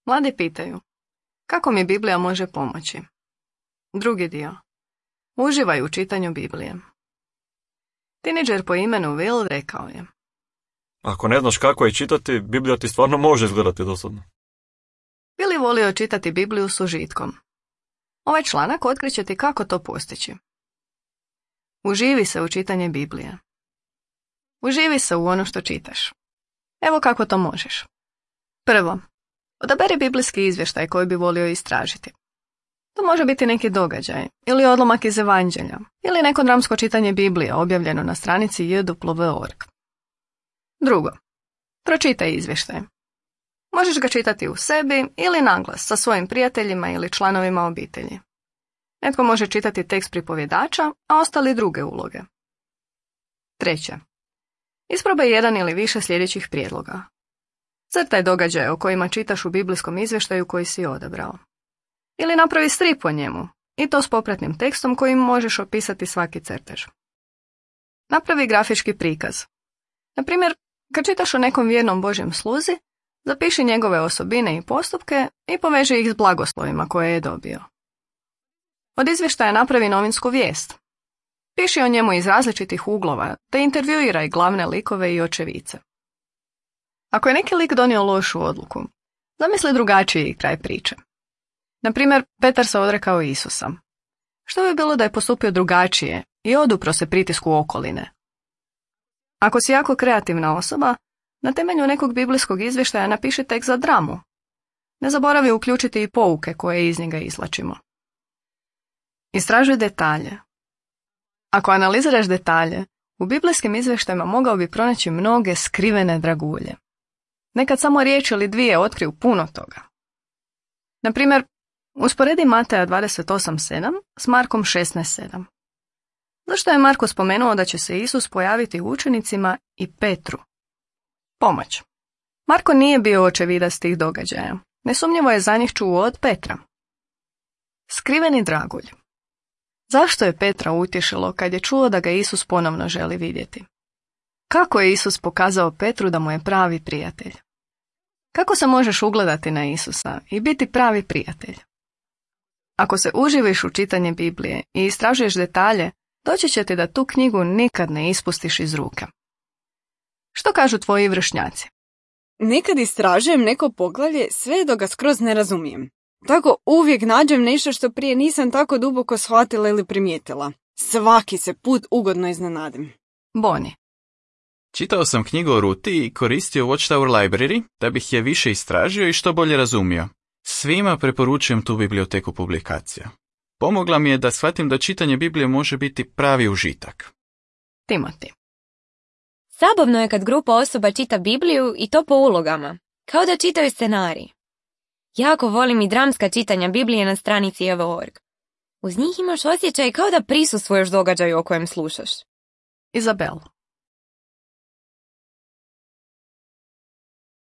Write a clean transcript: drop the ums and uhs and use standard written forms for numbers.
Mladi pitaju, kako mi Biblija može pomoći? Drugi dio. Uživaj u čitanju Biblije. Teenager po imenu Will rekao je: Ako ne znaš kako je čitati, Biblija ti stvarno može izgledati dosadno. Will je volio čitati Bibliju s užitkom. Ovaj članak otkriće ti kako to postići. Uživi se u čitanje Biblije. Uživi se u ono što čitaš. Evo kako to možeš. Prvo, odaberi biblijski izvještaj koji bi volio istražiti. To može biti neki događaj, ili odlomak iz Evanđelja, ili neko dramsko čitanje Biblije objavljeno na stranici jw.org. Drugo, pročitaj izvještaj. Možeš ga čitati u sebi ili naglas sa svojim prijateljima ili članovima obitelji. Netko može čitati tekst pripovjedača, a ostali druge uloge. Treće, isprobaj jedan ili više sljedećih prijedloga. Crtaj događaje o kojima čitaš u biblijskom izvještaju koji si odabrao. Ili napravi strip o njemu, i to s popratnim tekstom kojim možeš opisati svaki crtež. Napravi grafički prikaz. Na primjer, kad čitaš o nekom vjernom Božjem sluzi, zapiši njegove osobine i postupke i poveži ih s blagoslovima koje je dobio. Od izvještaja napravi novinsku vijest. Piši o njemu iz različitih uglova, te intervjuiraj glavne likove i očevice. Ako je neki lik donio lošu odluku, zamisli drugačiji kraj priče. Na primjer, Petar se odrekao Isusa. Što bi bilo da je postupio drugačije i odupro se pritisku okoline? Ako si jako kreativna osoba, na temelju nekog biblijskog izvještaja napiši tekst za dramu. Ne zaboravi uključiti i pouke koje iz njega izvlačimo. Istražuj detalje. Ako analiziraš detalje, u biblijskim izvještajima mogao bi pronaći mnoge skrivene dragulje. Nekad samo riječ ili dvije otkriju puno toga. Na primjer, usporedi Mateja 28.7 s Markom 16.7. Zašto je Marko spomenuo da će se Isus pojaviti učenicima i Petru? Pomoć. Marko nije bio očevidac tih događaja. Nesumnjivo je za njih čuo od Petra. Skriveni dragulj. Zašto je Petra utješilo kad je čuo da ga Isus ponovno želi vidjeti? Kako je Isus pokazao Petru da mu je pravi prijatelj? Kako se možeš ugledati na Isusa i biti pravi prijatelj? Ako se uživiš u čitanje Biblije i istražuješ detalje, doći će ti da tu knjigu nikad ne ispustiš iz ruke. Što kažu tvoji vršnjaci? Nekad istražujem neko poglavlje sve dok ga skroz ne razumijem. Tako uvijek nađem nešto što prije nisam tako duboko shvatila ili primijetila. Svaki se put ugodno iznenadim. Boni. Čitao sam knjigu o Ruti i koristio Watchtower Library da bih je više istražio i što bolje razumio. Svima preporučujem tu biblioteku publikacija. Pomogla mi je da shvatim da čitanje Biblije može biti pravi užitak. Timoti. Zabavno je kad grupa osoba čita Bibliju i to po ulogama, kao da čitaju scenarij. Jako volim i dramska čitanja Biblije na stranici jw.org. Uz njih imaš osjećaj kao da prisustvuješ događaju o kojem slušaš. Izabel.